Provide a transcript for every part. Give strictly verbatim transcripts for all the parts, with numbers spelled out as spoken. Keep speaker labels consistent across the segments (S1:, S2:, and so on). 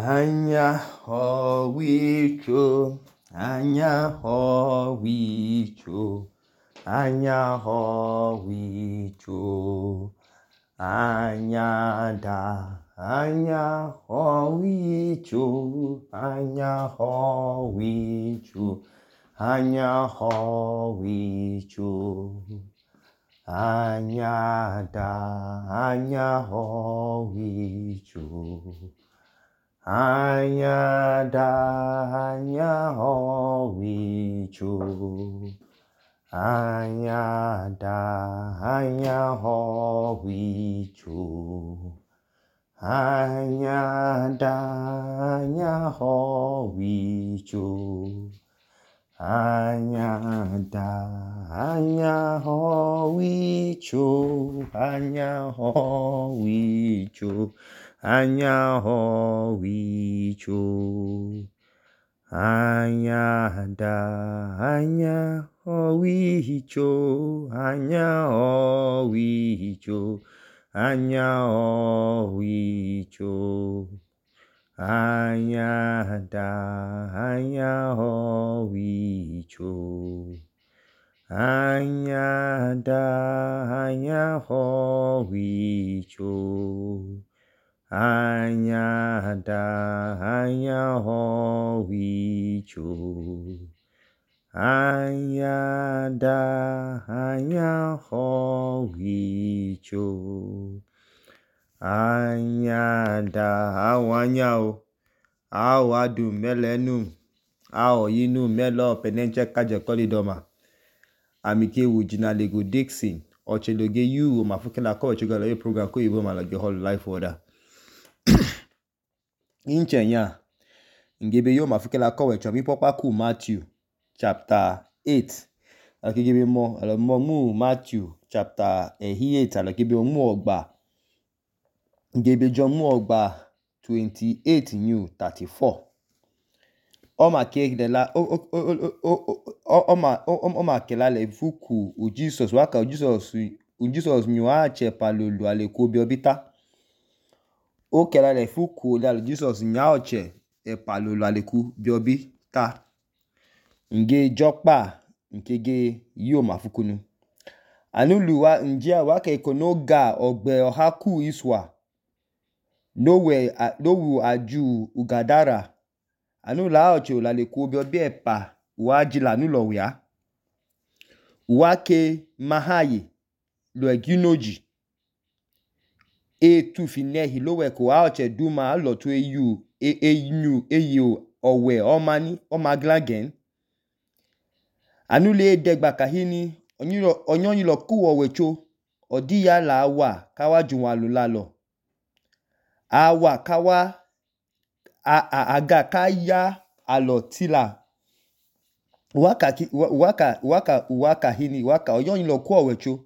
S1: Anyahowicho, anyahowicho, anyahowicho, anyada, anyahowicho, anyahowicho, anyahowicho, anyada, anyahowicho. Anyada, anyahowicho, anyada, anyahowicho, anyada, anyahowicho, anyada, anyahowicho, anyahowicho, anyahowicho, anyada, anyahowicho, anyahowicho, anyahowicho, anyada, anyahowicho, anyada, anyahowicho, anyada, anyahowicho, anyada, anyahowicho, anyada, awanyao, awo adu melenu, awo yinu melo penenche kaje kolidoma, amike wujina lego Dixon, ocheloge yu mafukela ko chugalo ye program ko yibo malage whole life order. Inchenya ngebe yo mafukela ko wecho mi popa ku Matthew chapter eight. Akigebe mo alo mo mu Matthew chapter eight alakebe mu ogba. Ngebe jo mu ogba twenty-eight new thirty-four. Oma kelela o o o o oma oma kelale fuku u Jesus waka u Jesus u Jesus nyua chepa lolu ale ko bi obita. O kelale fuku le Jesus nya oche e palolo aleku biobi ta nge jokpa nkege yo mafukunu anulu wa njia wa ke konoga ogbe ohaku iswa nowe nowu aju ugadara anula oche la leku biobi epa wa jila nulo wia wa ke mahaye lo eginoji e tu finehi lo we ko aoche duma lo to eyu e eyu eyo owe omani omaglagen anule degba kahini onyiro onyonyilo ku owecho odiya la wa kawa juwalu lalo awa kawa a, a aga kaya alotila waka waka waka waka hini waka onyonyilo ku owecho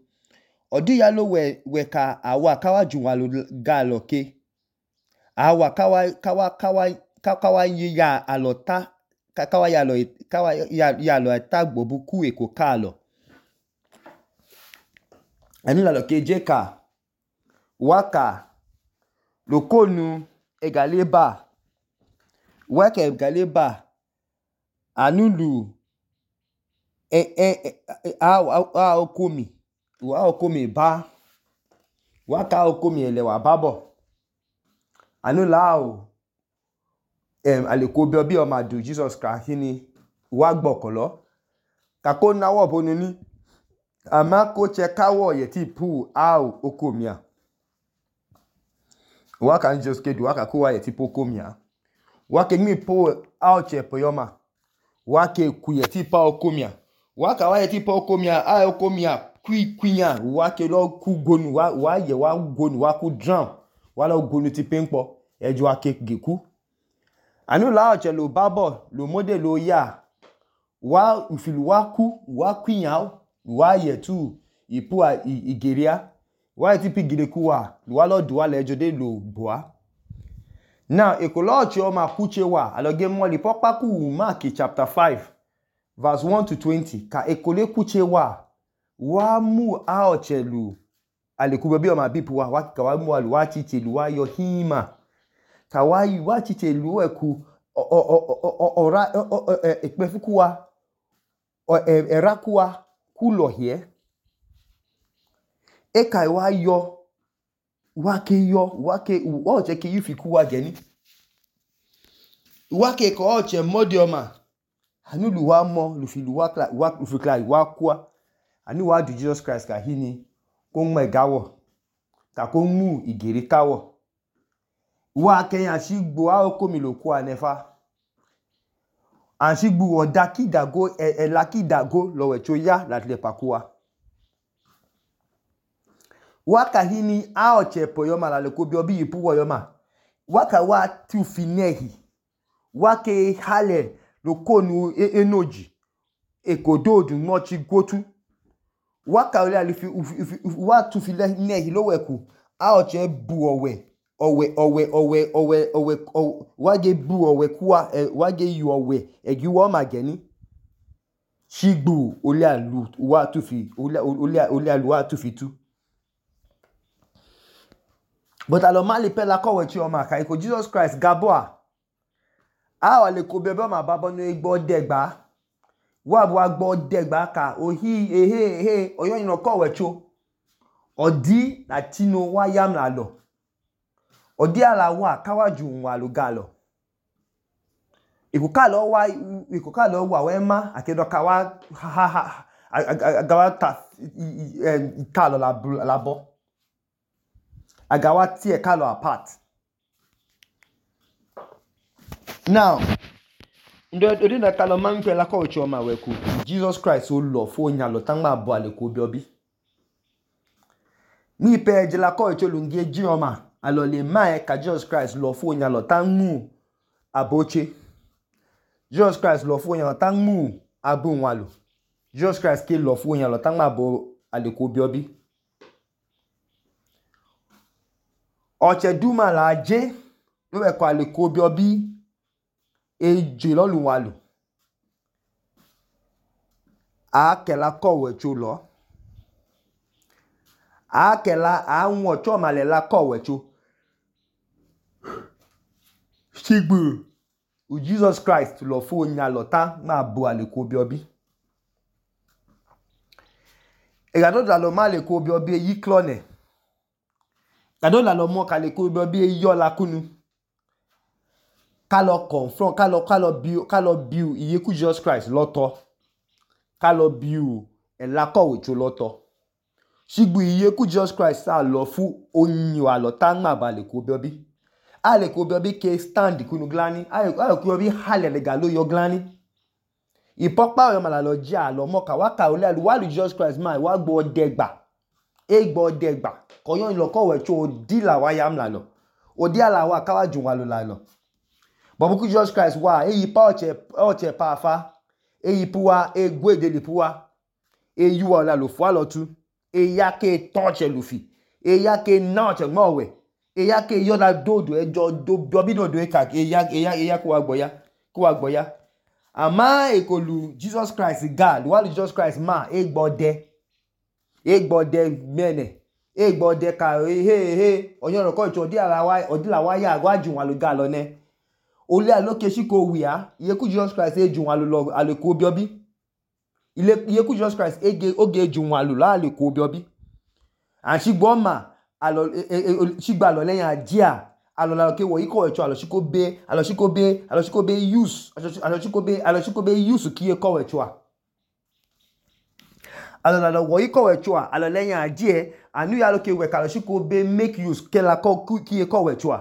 S1: odiya lo we we ka awa kawa juwalu galoke awa kawa kawa kawa kawa ya alota kawa ya lo kawa ya ya lo tagbo buku eko kalo anila lo kejeka waka lokonu egaleba waka egaleba anulu e e a a okomi wa okomi ba waka okomi ele wa babo anula o em alekobi obi o madu Jesus Christ ni wa gbokolo kako nawo bonu ni ama ko che kawo ye ti pu au okomia waka Jesus kedu waka ko wa ye ti pu okomia waka mi pu au che poyoma waka ku ye ti pa okomia waka wa ye ti pa okomia a okomia kwi kwinya waka lo ku gonu wa wa ye wa gonu wa ku drown wa lo gonu ti penpo eju ake geku anula oche lo babo lo mode lo ya wa ufilu wa ku wa kwinya wa ye tu ipu a igeria wa ye ti pi gireku wa wa lo du wa le ejo de lo boa now ekolo oche o ma kuche wa aloge moli popa ku Mark chapter five verse one to twenty ka ekole kuche wa wa mu a oche lu alekubo bi o ma bipu wa wa ka wa mu alu wa chiche lu wa yo hima ka wa yi wa chiche lu eku ora ekpefukuwa erakuwa kulo hie e kai wa yo wa ke yo wa ke wa oche ke yufi kuwa geni wa ke ko oche modioma anu lu wa mo lu fi lu wa kla wa lu fi kla wa kwa anu wa du Jesus Christ ka hini ko nme gawo ta ko mu igiri kawo wa ke yan sigbo a oko mi lo kwa nefa an sigbo oda kidago e, e la kidago lo we cho ya la le pakuwa wa ka hini a oche po yo ma la le ko bi obi ipu wo yo ma wa ka wa tu finehi wa ke hale lo konu e, enoji ekododu mochi gotu wa ka ole ali fi wa tu finehi lo weku a oche bu owe owe owe owe owe owe wa ge bu owe kuwa wa ge yu owe egi wo ma geni sigbo ole alu wa tu fi ole ole ole alu wa tu fi tu but alo mali pe la ko we chi o ma ka iko Jesus Christ gaboa a o le ko bebe ma babo no egbo degba wa bu agbo degba ka ohi ehe ehe oyo yin ko we cho odi na tino wa yam la lo odi ala wa kawaju nwa lo galo ikuka lo wa ikuka lo wa we ma akedo ka wa ha ha agawa ta ta lo la la bo agawa tie ka lo apart now ndo odi na ka lo man pe la ko cho ma we ku Jesus Christ o lo fo nya lo tan ma bo ale ko bi obi mi pe je la ko cho lu nge ji o ma alo le ma e ka Jesus Christ lo fo nya lo tan mu aboche Jesus Christ lo fo nya lo tan mu abu nwa lo Jesus Christ ke lo fo nya lo tan ma bo ale ko bi obi oche duma la je lo we ko ale ko bi obi e je lo lu wa lo a ke la ko we cho lo a ke la a won cho ma le la ko we cho sigbo u Jesus Christ lo fo nya lo ta ma bo ale ko bi obi e ga do da lo ma le ko bi obi yi clone ga do la lo mo ka le ko bi obi yo la kunu ka lo confront ka lo ka lo bi ka lo bi iye ku Jesus Christ loto ka lo bi u e la ko we cho loto sigbo iye ku Jesus Christ sa lo fu oyin wa lo ta ma ba le ko bi obi a le ko bi obi ke stand kunu glani a le ko bi hale le ga lo yo glani ipopa yo ma la lo ja lo mo ka wa ka ole alu wa lu Jesus Christ ma wa gbo degba e gbo degba ko yo lo ko we cho di la wa yam la lo odi ala wa ka wa jun wa lo la lo but ku Jesus Christ wa e yi pa oche oche pa fa e yi puwa e gwe de li puwa e yu wa la lo fo lo tu e ya ke touch e lu fi e ya ke na che mo we e ya ke yo la dodo e jo do bi no do e ka e ya e ya e ya ko wa gboya ko wa gboya ama e ko lu Jesus Christ God wa lu Jesus Christ ma e gbode e gbode mene e gbode ka he he oyon ro ko cho di ala wa odi la wa ya gwa jun wa lu ga lo ne ole aloke si ko wi a iye ku Jesus Christ e jun wa lu lo ale ko bi obi ile iye ku Jesus Christ ege oge jun wa lu la ale ko bi obi an sigbo ma alo sigba lo leyin ajia alo la ke wo iko echo alo siko be alo siko be alo siko be use alo siko be alo siko be use ki e ko echo alo la wo iko echo alo leyin ajie anu ya lo ke we alo siko be make use ke la ko ki e ko echo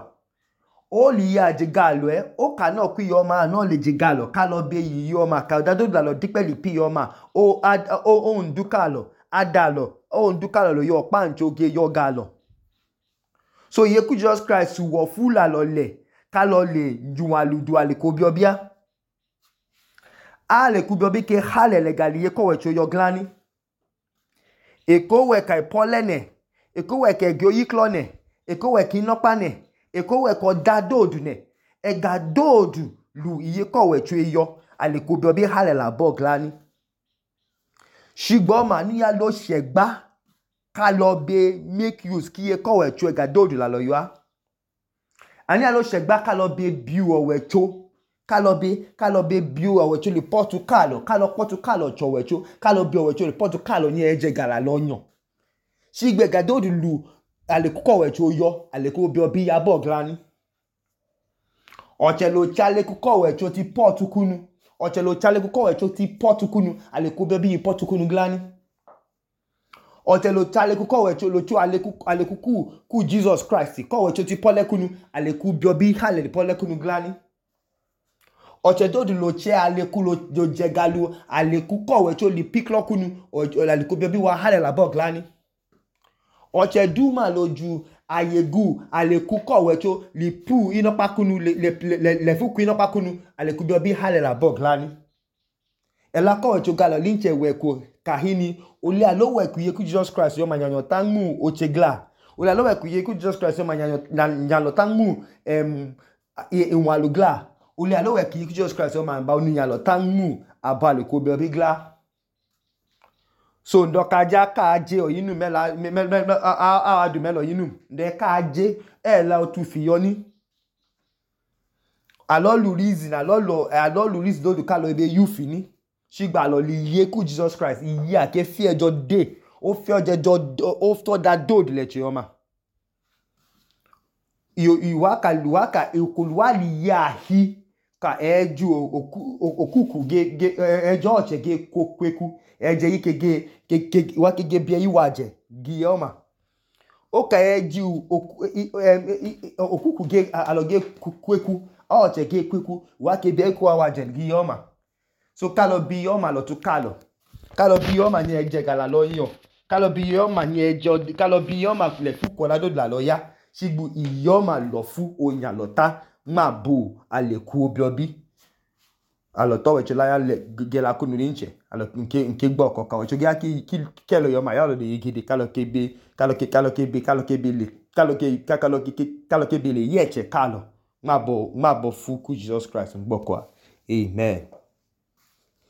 S1: o li ya je galo e o ka na ku yo ma na le je galo ka lo be yi yo ma ka da do da lo dipeli pi yo ma o o o nduka lo adalo o nduka lo yo pancho ge yo galo so ye ku Jesus Christ wo fula lo le ka lo le juwa lu du ale ko bi obia ale ku bi obi ke hale le gali ye ko we cho yo glani e ko we kai polene e ko we ke gyo yi clone e ko we ki nopa ne e ko we ko da dodu ne e ga dodu lu iye ko we cho yo ale ku bi obi hale la bo glani sigbo ma ni ya lo segba ka lo be make use ki e ko we cho e ga dodu la lo yo a Ani alo shegba kalo be biu owecho kalo be kalo be biu owecho le potu kalo kalo potu kalo cho owecho kalo bi owecho le potu kalo ni eje gala lonyo shigbe gado lu alekuko owecho yo aleku bi obi ya bo glani ochelo chale kuko owecho ti potu kunu ochelo chale kuko owecho ti potu kunu aleku bi obi potu kunu glani ochelo chale kuko owecho lo chu aleku aleku ku ku Jesus Christ ko owecho ti pole kunu aleku bi obi hale pole kunu glani ochedo du lo che aleku lo jegalu aleku ko owecho li piklo kunu aleku bi obi wa hale la bo glani ochedu ma loju ayegu aleku ko owecho li pu inopa kunu le le le, le fu ku inopa kunu aleku bi obi hale la bo glani ela ko owecho galo linche weku kahini oli alo weku ye ku Jesus Christ yo manyanyo tanmu ochegla oli alo weku ye ku Jesus Christ yo manyanyo nyalo tanmu em inwalugla oli alo weku ye ku Jesus Christ yo man ba onu nyalo tanmu abale ko bi obi gla so ndoka ja ka je oyinu mela me me a adu melo yinu nde ka je e la otu fi yo ni alo lu reason alo lo alo lu reason do du ka lo ebe you fini shigba lo li ye ku Jesus Christ iye ake fi ejo de o fi oje jo o to da do le che oma yo iwaka luwaka ikuluwa li ya hi ka eju okuku ge ge ejo oche ge kokweku eje yike ge ke wa ke ge bi iwaje gi oma o ka eju okuku ge aloge kweku oche ge kweku wa ke bi ku awaje gi oma so kalo bi oma lo tu kalo kalo bi oma ni eje gala lo yan kalo bi oma ni ejo kalo bi oma le fu ko la do la lo ya shigbu iyoma lo fu oyan lo ta ma bu aleku obi obi alo to wecho la ya le gela kunu rinche alo nke nke gbo koka wecho ga ki ki kelo yoma ya lo de yigide kalo ke be kalo ke kalo ke be kalo ke be le kalo ke kalo ke kalo ke be le yeche kalo ma bo ma bo fu ku Jesus Christ ngbo kwa amen.